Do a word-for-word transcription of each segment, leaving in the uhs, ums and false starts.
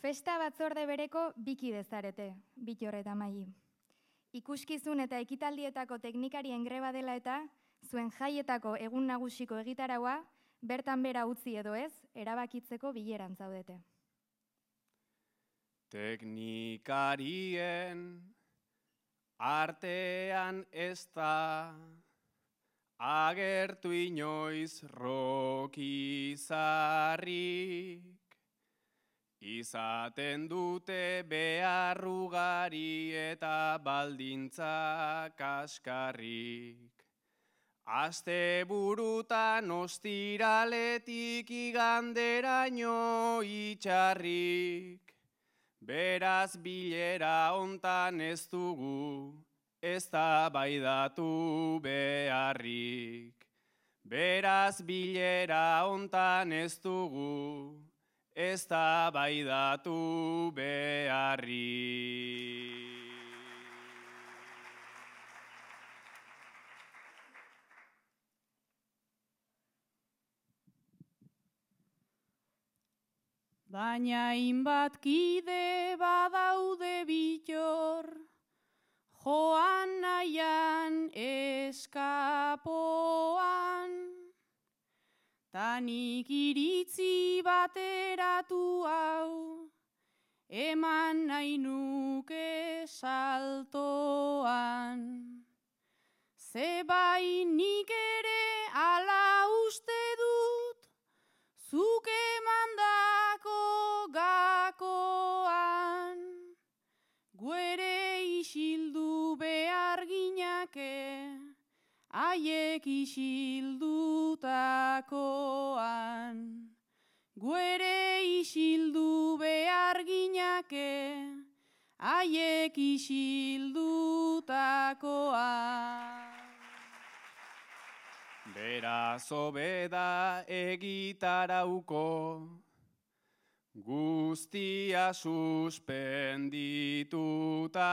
Festa batzorde bereko bikide zarete, Bittor eta Maili. Ikuskizun eta ekitaldietako teknikarien greba dela eta zuen jaietako egun nagusiko egitaraua bertan bera utzi edo ez, erabakitzeko bileran zaudete. Teknikarien artean ez da agertu inoiz rokizarrik. Izaten dute behar ugari eta baldintza kaskarrik. Asteburutan ostiraletik iganderaino itxarrik. Beraz bilera hontan ez dugu, eztabaidatu beharrik. Beraz bilera hontan ez dugu, eztabaidatu beharrik. Baina hainbat kide badaude Bittor, joan nahian eskapoan, tanik iritzi bateratu hau, eman nahi nuke saltoan. Zebai nik ere ala uste dut, zuk emandako gakoan, guere isildu behar ginake, haiek isildutakoan. Guere isildu behar ginake, haiek isildutakoan. Beraz hobeda egitarauko, guztia suspendituta,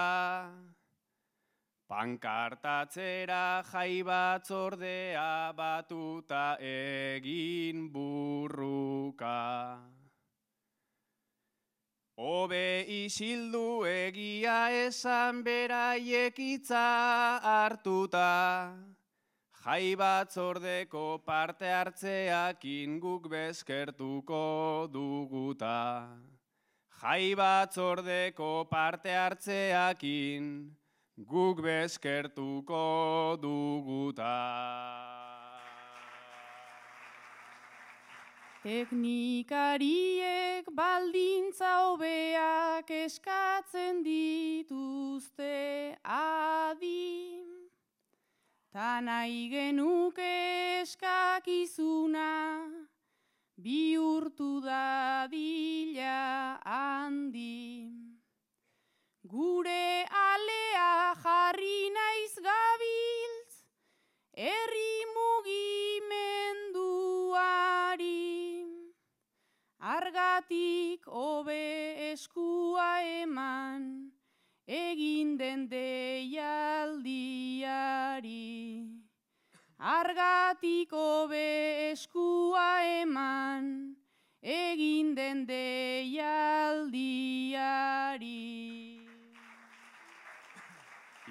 pankartatzera jai batzordea batuta egin burruka. Hobe isildu egia esan beraiek hitza hartuta, jai batzordeko parte hartzeakin guk bezkertuko duguta. Jai batzordeko parte hartzeakin guk bezkertuko duguta. Teknikariek baldintza hobeak eskatzen dituzte adi, ta nahi genuke eskakizuna bihurtu dadila handi. Gure alea jarri naiz gabiltz, herri mugimenduari. Argatik hobe eskua eman, egin den deialdiari. Argatik hobe eskua eman, egin den deialdiari.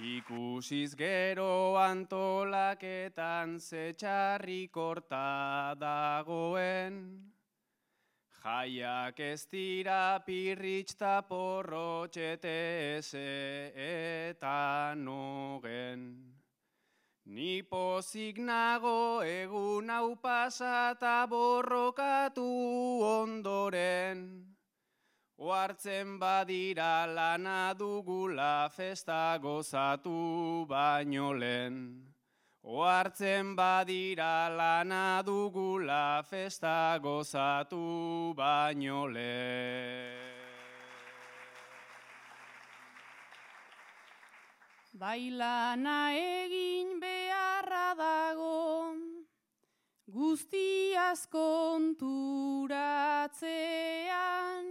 Ikusiz gero antolaketan ze txarrik horta dagoen, jaiak ez dira pirritx ta porrotxete eze eta nogen. Ni pozik nago egun hau pasata borrokatu ondoren, ohartzen badira lana dugula festa gozatu baino lehen. Ohartzen badira lana dugula festa gozatu baino lehen. Bai lana egin beharra dago, guztiaz konturatzean,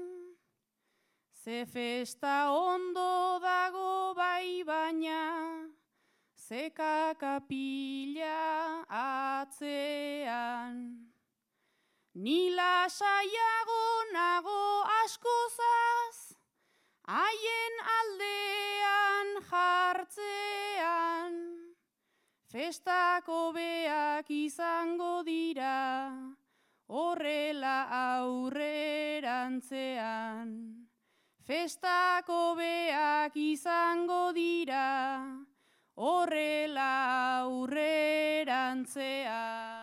ze festa ondo dago bai baina, ze kakapila atzean. Ni lasaiago nago askozaz, Festako beak izango dira, horrela aurrerantzean. Festako beak izango dira, horrela aurrerantzean.